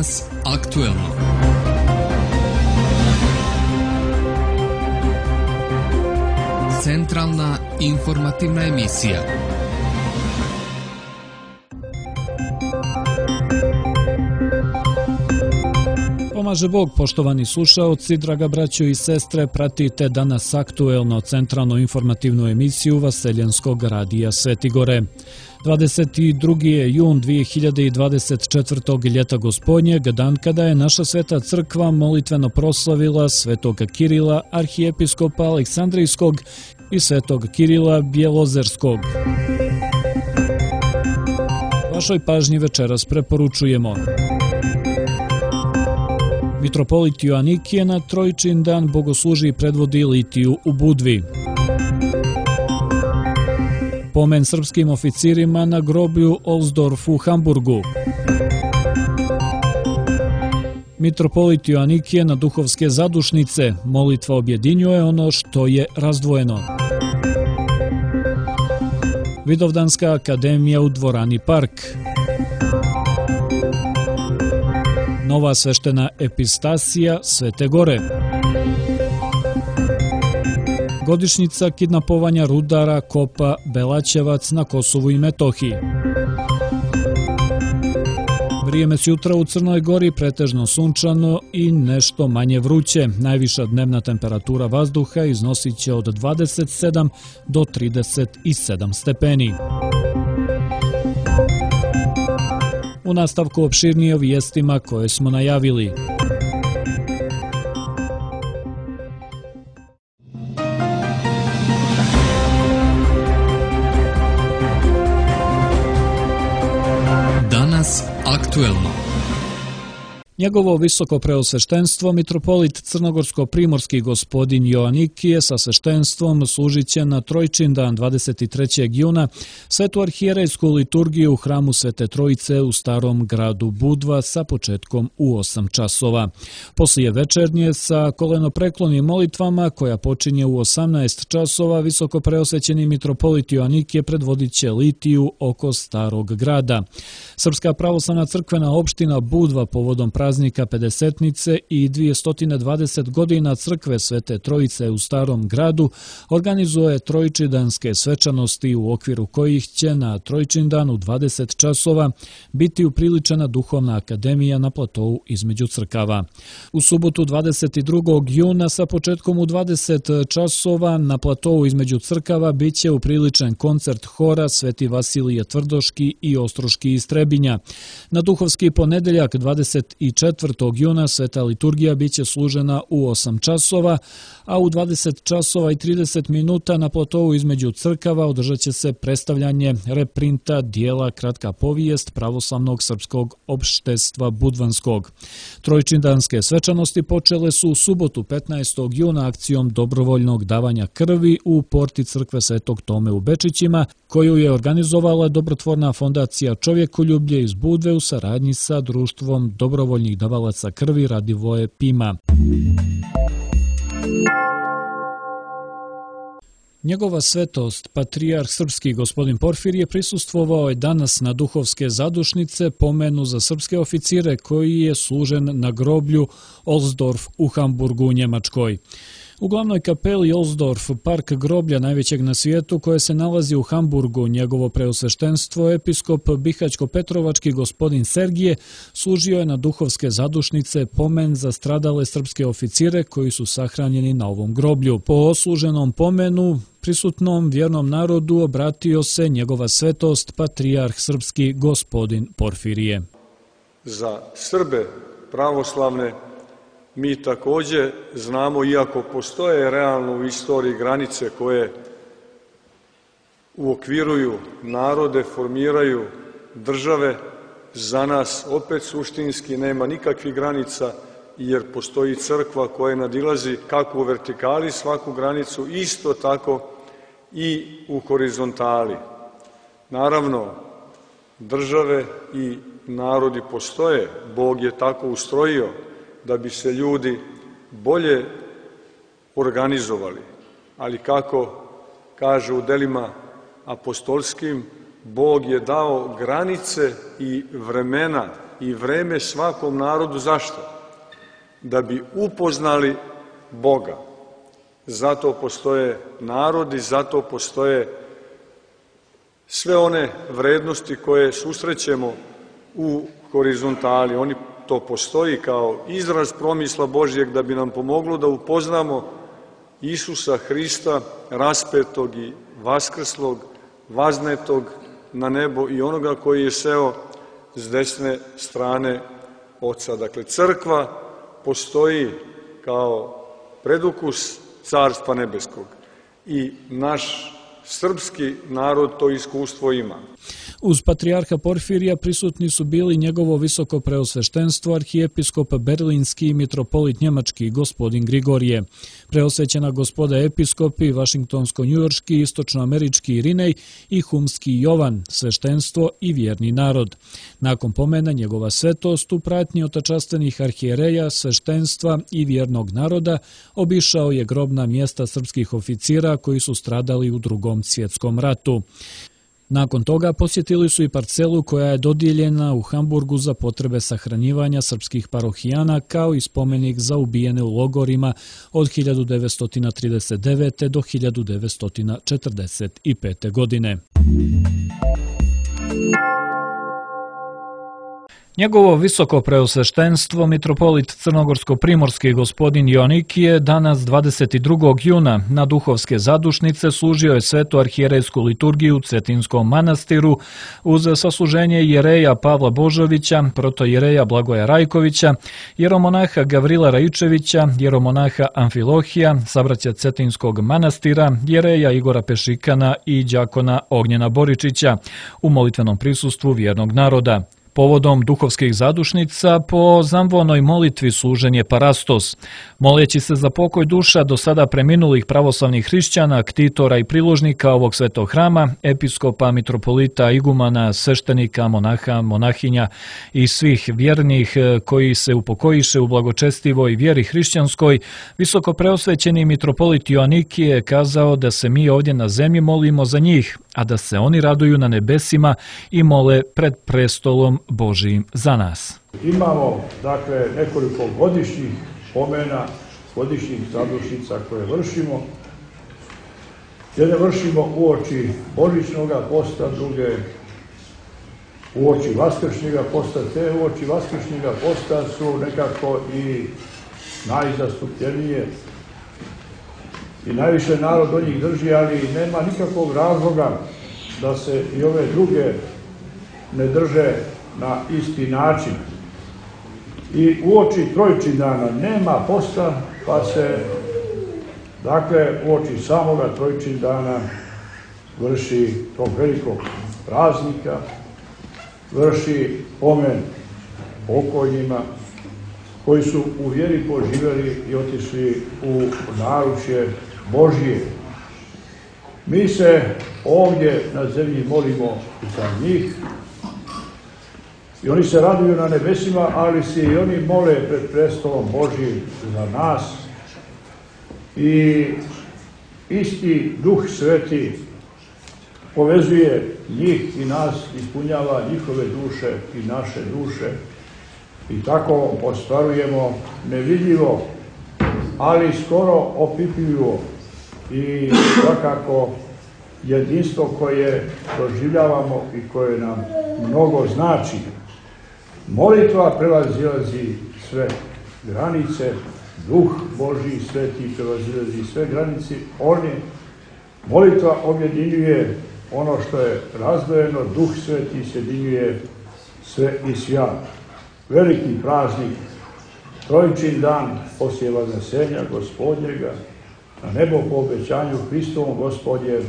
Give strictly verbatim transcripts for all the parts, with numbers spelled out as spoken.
Danas aktuelno. Centralna informativna emisija. Pomaže Bog, poštovani slušaoci, draga braćo i sestre, pratite danas aktuelno centralno informativnu emisiju Vaseljenskog radija Svetigore. dvadeset drugi je jun dvije hiljade dvadeset četvrtog. ljeta gospodnjeg, dan kada je naša sveta crkva molitveno proslavila svetog Kirila, arhijepiskopa Aleksandrijskog i svetog Kirila Bjelozerskog. Vašoj pažnji večeras preporučujemo: mitropolit Joanikije na Trojičin dan bogosluži i predvodi litiju u Budvi. Pomen srpskim oficirima na groblju Ohlsdorf u Hamburgu. Mitropolit Joanikije na duhovske zadušnice, molitva objedinjuje ono što je razdvojeno. Vidovdanska akademija u dvorani Park. Nova sveštena epistasija Svete Gore. Godišnjica kidnapovanja rudara kopa Belaćevac na Kosovu i Metohiji. Vrijeme s jutra u Crnoj Gori pretežno sunčano i nešto manje vruće. Najviša dnevna temperatura vazduha iznosit će od dvadeset sedam do trideset sedam stepeni. U nastavku opširnije o vijestima koje smo najavili. Danas aktuelno. Njegovo visoko preosveštenstvo, mitropolit crnogorsko-primorski gospodin Joanikije sa sveštenstvom služit će na Trojičin dan dvadeset trećeg juna svetu arhijerejsku liturgiju u hramu Svete Trojice u starom gradu Budva sa početkom u osam časova. Poslije večernje sa kolenopreklonim molitvama koja počinje u osamnaest časova visoko preosvećeni mitropolit Joanikije predvodit će litiju oko starog grada. Srpska pravoslavna crkvena opština Budva povodom praznika pedesetnice i dvjesto dvadeset godina crkve Svete Trojice u starom gradu organizuje trojičidanske svečanosti u okviru kojih će na Trojičin dan u dvadeset časova biti upriličena duhovna akademija na platovu između crkava. U subotu dvadeset drugog juna sa početkom u dvadeset časova na platovu između crkava bit će upriličen koncert hora Sveti Vasilije Tvrdoški i Ostroški iz Trebinja. Na duhovski ponedeljak dvadeset četvrtog juna sveta liturgija bit će služena u osam časova, a u dvadeset časova i trideset minuta na platovu između crkava održat će se predstavljanje reprinta dijela Kratka povijest pravoslavnog srpskog opštestva Budvanskog. Trojičindanske svečanosti počele su u subotu petnaestog juna akcijom dobrovoljnog davanja krvi u porti crkve Svetog Tome u Bečićima, koju je organizovala dobrotvorna fondacija Čovjekoljublje iz Budve u saradnji sa društvom dobrovoljnih davalaca krvi Radivoje Pima. Njegova svetost, patrijarh srpski gospodin Porfirije, prisustvovao je danas na duhovske zadušnice pomenu za srpske oficire koji je služen na groblju Ohlsdorf u Hamburgu u Njemačkoj. U glavnoj kapeli Ohlsdorf, park groblja najvećeg na svijetu koje se nalazi u Hamburgu, njegovo preosveštenstvo, episkop Bihaćko-Petrovački gospodin Sergije, služio je na duhovske zadušnice pomen za stradale srpske oficire koji su sahranjeni na ovom groblju. Po osluženom pomenu prisutnom vjernom narodu obratio se njegova svetost, patrijarh srpski gospodin Porfirije. Za Srbe pravoslavne mi također znamo, iako postoje realno u istoriji granice koje uokviruju narode, formiraju države, za nas opet suštinski nema nikakvih granica, jer postoji crkva koja nadilazi kako u vertikali svaku granicu, isto tako i u horizontali. Naravno, države i narodi postoje, Bog je tako ustrojio da bi se ljudi bolje organizovali, ali kako kaže u delima apostolskim, Bog je dao granice i vremena i vreme svakom narodu. Zašto? Da bi upoznali Boga. Zato postoje narodi, zato postoje sve one vrednosti koje susrećemo u horizontali. Oni to postoji kao izraz promisla Božjeg da bi nam pomoglo da upoznamo Isusa Hrista, raspetog i vaskrslog, vaznetog na nebo i onoga koji je seo s desne strane Oca. Dakle, crkva postoji kao predukus Carstva nebeskog i naš srpski narod to iskustvo ima. Uz patrijarha Porfirija prisutni su bili njegovo visoko preosveštenstvo, arhijepiskop berlinski i mitropolit njemački gospodin Grigorije, preosvećena gospoda episkopi, vašingtonsko-njujorški, istočnoamerički Irinej i humski Jovan, sveštenstvo i vjerni narod. Nakon pomena njegova svetost u pratnji otačastvenih arhijereja, sveštenstva i vjernog naroda obišao je grobna mjesta srpskih oficira koji su stradali u Drugom svjetskom ratu. Nakon toga posjetili su i parcelu koja je dodijeljena u Hamburgu za potrebe sahranjivanja srpskih parohijana kao i spomenik za ubijene u logorima od hiljadu devetsto trideset devete. do hiljadu devetsto četrdeset pete. godine. Njegovo visoko preosveštenstvo, mitropolit crnogorsko-primorski gospodin Joanikije, danas dvadeset drugog juna na duhovske zadušnice služio je svetu arhijerejsku liturgiju u Cetinskom manastiru uz sasluženje jereja Pavla Božovića, protojereja Blagoja Rajkovića, jeromonaha Gavrila Raičevića, jeromonaha Amfilohija, sabraća Cetinskog manastira, jereja Igora Pešikana i đakona Ognjena Boričića u molitvenom prisustvu vjernog naroda. Povodom duhovskih zadušnica po zamvonoj molitvi služen je parastos. Moleći se za pokoj duša do sada preminulih pravoslavnih hrišćana, ktitora i priložnika ovog svetog hrama, episkopa, mitropolita, igumana, sveštenika, monaha, monahinja i svih vjernih koji se upokojiše u blagočestivoj vjeri hrišćanskoj, visoko preosvećeni mitropolit Joanikije je kazao da se mi ovdje na zemlji molimo za njih, a da se oni raduju na nebesima i mole pred prestolom Božijim za nas. Imamo, dakle, nekoliko godišnjih pomena, godišnjih zadušnica koje vršimo. Jedne vršimo uoči Božićnog posta, druge uoči Vaskršnjega posta. Te uoči Vaskršnjega posta su nekako i najzastupljenije i najviše narod od njih drži, ali nema nikakvog razloga da se i ove druge ne drže na isti način. I uoči Trojčindana nema posta, pa se, dakle, uoči samoga Trojčindana vrši tog velikog praznika, vrši pomen pokojnima koji su u vjeri poživjeli i otišli u naručje Božije. Mi se ovdje na zemlji molimo za njih i oni se raduju na nebesima, ali se i oni mole pred prestolom Božijim za nas. I isti Duh Sveti povezuje njih i nas, ispunjava njihove duše i naše duše. I tako ostvarujemo nevidljivo, ali skoro opipljivo i svakako jedinstvo koje doživljavamo i koje nam mnogo znači. Molitva prevazilazi sve granice, Duh Božji Sveti prevazilazi sve granice. Oni, molitva objedinjuje ono što je razdvojeno, Duh Sveti sjedinjuje sve i svja. Veliki praznik, Trojčin dan poslije Vaznesenja Gospodnjega, na nebo po obećanju Hristovom Gospodje,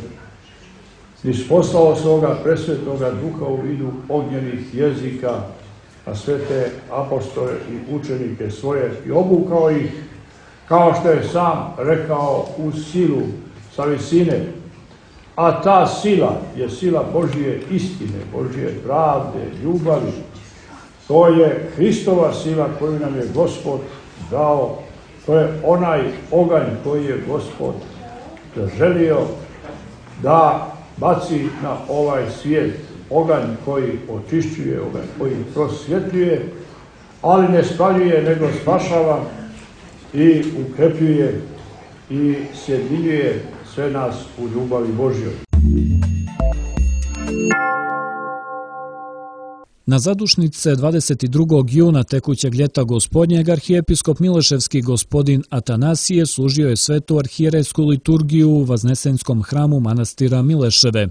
isposlao svoga presvetoga Duha u vidu ognjenih jezika na sve te apostole i učenike svoje i obukao ih, kao što je sam rekao, u silu sa visine. A ta sila je sila Božje istine, Božje pravde, ljubavi. To je Hristova sila koju nam je Gospod dao. To je onaj oganj koji je Gospod želio da baci na ovaj svijet. oganj koji očišćuje, oganj koji prosvjetljuje, ali ne spaljuje, nego spašava i ukrepljuje i sjedinjuje sve nas u ljubavi Božjoj. Na zadušnice dvadeset drugog juna tekućeg ljeta gospodnjeg arhijepiskop Mileševski gospodin Atanasije služio je svetu arhijerejsku liturgiju u Vaznesenskom hramu manastira Mileševe.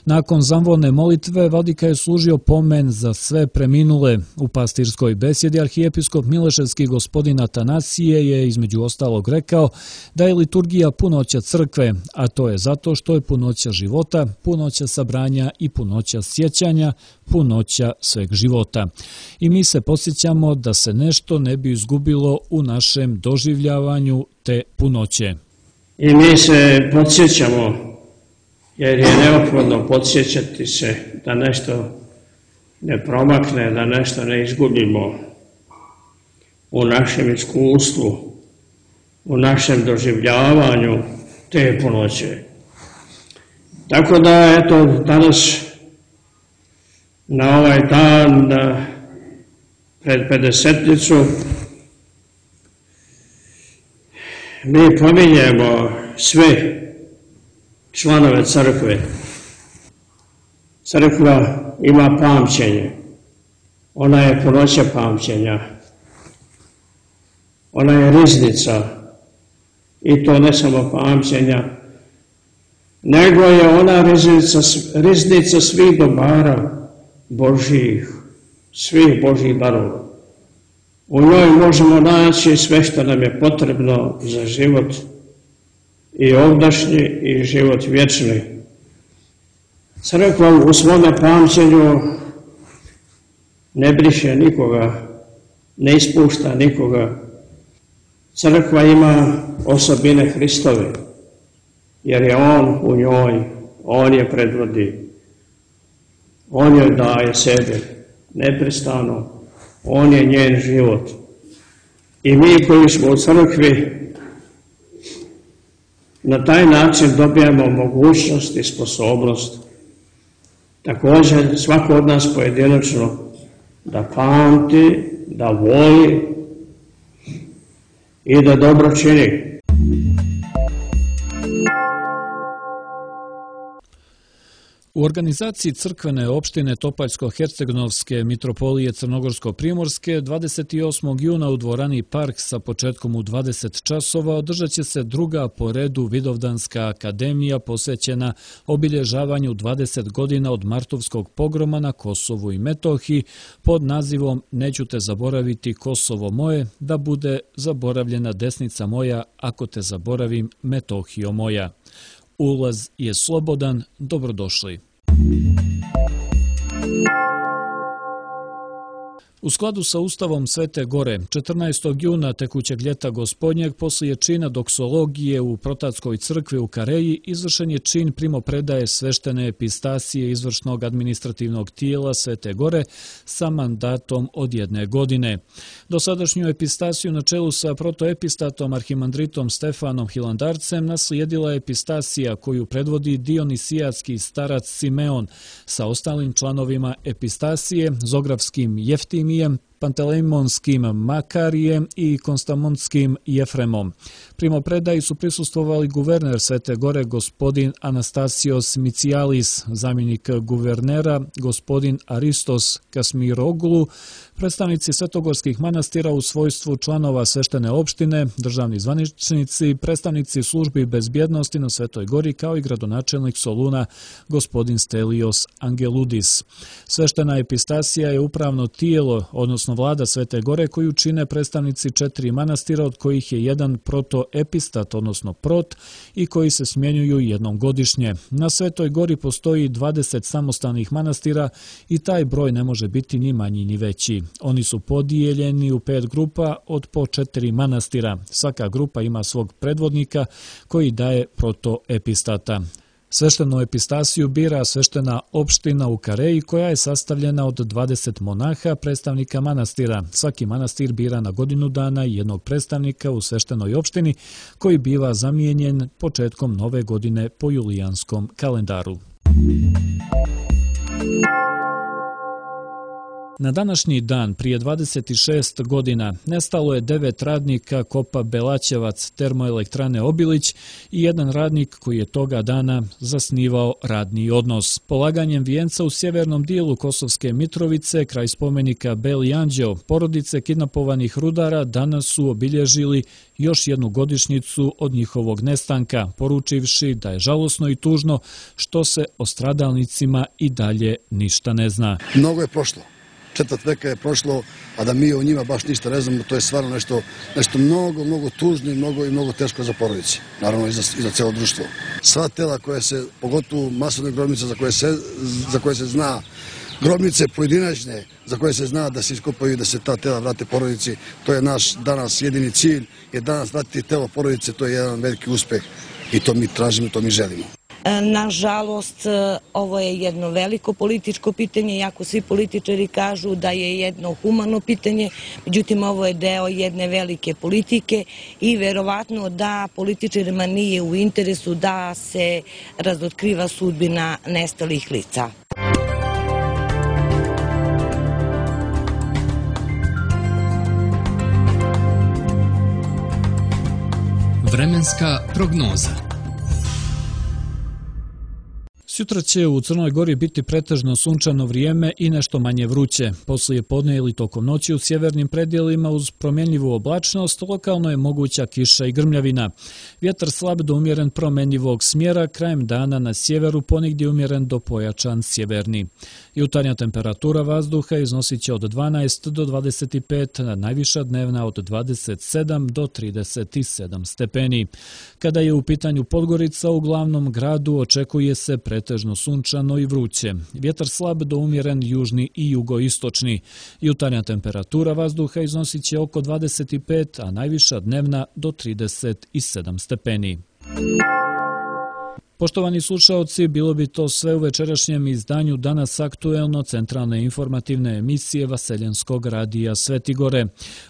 Nakon zamvolne molitve vladika je služio pomen za sve preminule. U pastirskoj besjedi arhijepiskop Mileševski gospodin Atanasije je između ostalog rekao da je liturgija punoća crkve, a to je zato što je punoća života, punoća sabranja i punoća sjećanja, punoća sveg života. I mi se podsjećamo da se nešto ne bi izgubilo u našem doživljavanju te punoće. I mi se podsjećamo, jer je neophodno podsjećati se da nešto ne promakne, da nešto ne izgubimo u našem iskustvu, u našem doživljavanju te punoće. Tako da, eto, danas na ovaj dan da pred pedesetnicu mi pominjemo sve članove crkve. Crkva ima pamćenje. Ona je punoća pamćenja. Ona je riznica. I to ne samo pamćenja, nego je ona riznica, riznica svih dobara Božjih, svih Božjih darova. U njoj možemo naći sve što nam je potrebno za život i ovdašnji i život vječni. Crkva u svome pamćenju ne briše nikoga, ne ispušta nikoga. Crkva ima osobine Hristove, jer je On u njoj, On je predvodi, On joj daje sebe neprestano, On je njen život. I mi koji smo u crkvi na taj način dobijamo mogućnost i sposobnost također svako od nas pojedinačno da pamti, da voli i da dobro čini. U organizaciji crkvene opštine Topaljsko-Hercegnovske mitropolije Crnogorsko-Primorske dvadeset osmog juna u dvorani Park sa početkom u dvadeset časova održat će se druga po redu Vidovdanska akademija posvećena obilježavanju dvadeset godina od martovskog pogroma na Kosovu i Metohiji pod nazivom Neću te zaboraviti Kosovo moje, da bude zaboravljena desnica moja ako te zaboravim Metohijo moja. Ulaz je slobodan, dobrodošli. U skladu sa Ustavom Svete Gore, četrnaestog juna tekućeg ljeta gospodnjeg, poslije čina doksologije u Protatskoj crkvi u Kareji, izvršen je čin primopredaje sveštene epistasije izvršnog administrativnog tijela Svete Gore sa mandatom od jedne godine. Dosadašnju epistasiju na čelu sa protoepistatom arhimandritom Stefanom Hilandarcem naslijedila je epistasija koju predvodi dionisijatski starac Simeon sa ostalim članovima epistasije, Zografskim Jeftimijem, Pantelejmonskim Makarijem i Konstamontskim Jefremom. Primopredaji su prisustvovali guverner Svete Gore gospodin Anastasios Micijalis, zamjenik guvernera gospodin Aristos Kasmiroglu, predstavnici svetogorskih manastira u svojstvu članova sveštene opštine, državni zvaničnici, predstavnici službi bezbjednosti na Svetoj Gori kao i gradonačelnik Soluna gospodin Stelios Angeludis. Sveštena epistasija je upravno tijelo, odnosno vlada Svete Gore koju čine predstavnici četiri manastira od kojih je jedan protoepistat, odnosno prot, i koji se smjenjuju jednom godišnje. Na Svetoj Gori postoji dvadeset samostalnih manastira i taj broj ne može biti ni manji ni veći. Oni su podijeljeni u pet grupa od po četiri manastira. Svaka grupa ima svog predvodnika koji daje protoepistata. Sveštenu epistasiju bira sveštena opština u Kareji koja je sastavljena od dvadeset monaha, predstavnika manastira. Svaki manastir bira na godinu dana jednog predstavnika u sveštenoj opštini koji biva zamijenjen početkom nove godine po julijanskom kalendaru. Na današnji dan prije dvadeset šest godina nestalo je devet radnika Kopa Belaćevac termoelektrane Obilić i jedan radnik koji je toga dana zasnivao radni odnos. Polaganjem vijenca u sjevernom dijelu Kosovske Mitrovice, kraj spomenika Beli anđeo, porodice kidnapovanih rudara danas su obilježili još jednu godišnjicu od njihovog nestanka, poručivši da je žalosno i tužno što se o stradalnicima i dalje ništa ne zna. Mnogo je prošlo. Četvrt veka je prošlo, a da mi o njima baš ništa ne znamo, to je stvarno nešto, nešto mnogo, mnogo tužno i mnogo, i mnogo teško za porodice, naravno i za, i za celo društvo. Sva tela koje se, pogotovo masovne grobnice za koje se, za koje se zna, grobnice pojedinačne za koje se zna da se iskopaju i da se ta tela vrate porodici, to je naš danas jedini cilj, jer danas vratiti telo porodice, to je jedan veliki uspeh i to mi tražimo, to mi želimo. Nažalost, ovo je jedno veliko političko pitanje, iako svi političari kažu da je jedno humano pitanje, međutim ovo je deo jedne velike politike i verovatno da političarima nije u interesu da se razotkriva sudbina nestalih lica. Vremenska prognoza. Sutra će u Crnoj Gori biti pretežno sunčano vrijeme i nešto manje vruće. Poslije podne ili tokom noći u sjevernim predjelima uz promjenljivu oblačnost lokalno je moguća kiša i grmljavina. Vjetar slab do umjeren promjenljivog smjera, krajem dana na sjeveru ponegdje umjeren do pojačan sjeverni. Jutarnja temperatura vazduha iznosit će od dvanaest do dvadeset pet, a najviša dnevna od dvadeset sedam do trideset sedam stepeni. Kada je u pitanju Podgorica, u glavnom gradu očekuje se pretežno sunčano i vruće. Vjetar slab do umjeren južni i jugoistočni. Jutarnja temperatura vazduha iznosit će oko dvadeset pet, a najviša dnevna do trideset sedam stepeni. Poštovani slušaoci, bilo bi to sve u večerašnjem izdanju Danas aktuelno centralne informativne emisije Vaseljenskog radija Svetigore.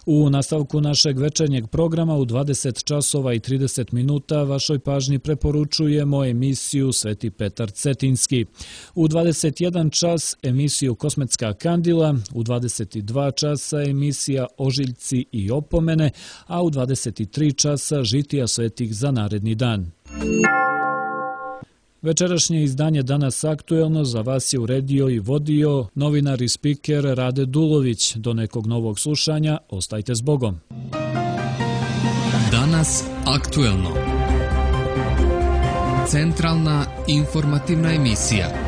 U nastavku našeg večernjeg programa u dvadeset časova i trideset minuta vašoj pažnji preporučujemo emisiju Sveti Petar Cetinski. U dvadeset jedan čas emisiju Kosmetska kandila, u dvadeset dva časa emisija Ožiljci i opomene, a u dvadeset tri časa Žitija svetih za naredni dan. Večerašnje izdanje Danas aktuelno za vas je uredio i vodio novinar i spiker Rade Dulović. Do nekog novog slušanja, ostajte s Bogom. Danas aktuelno. Centralna informativna emisija.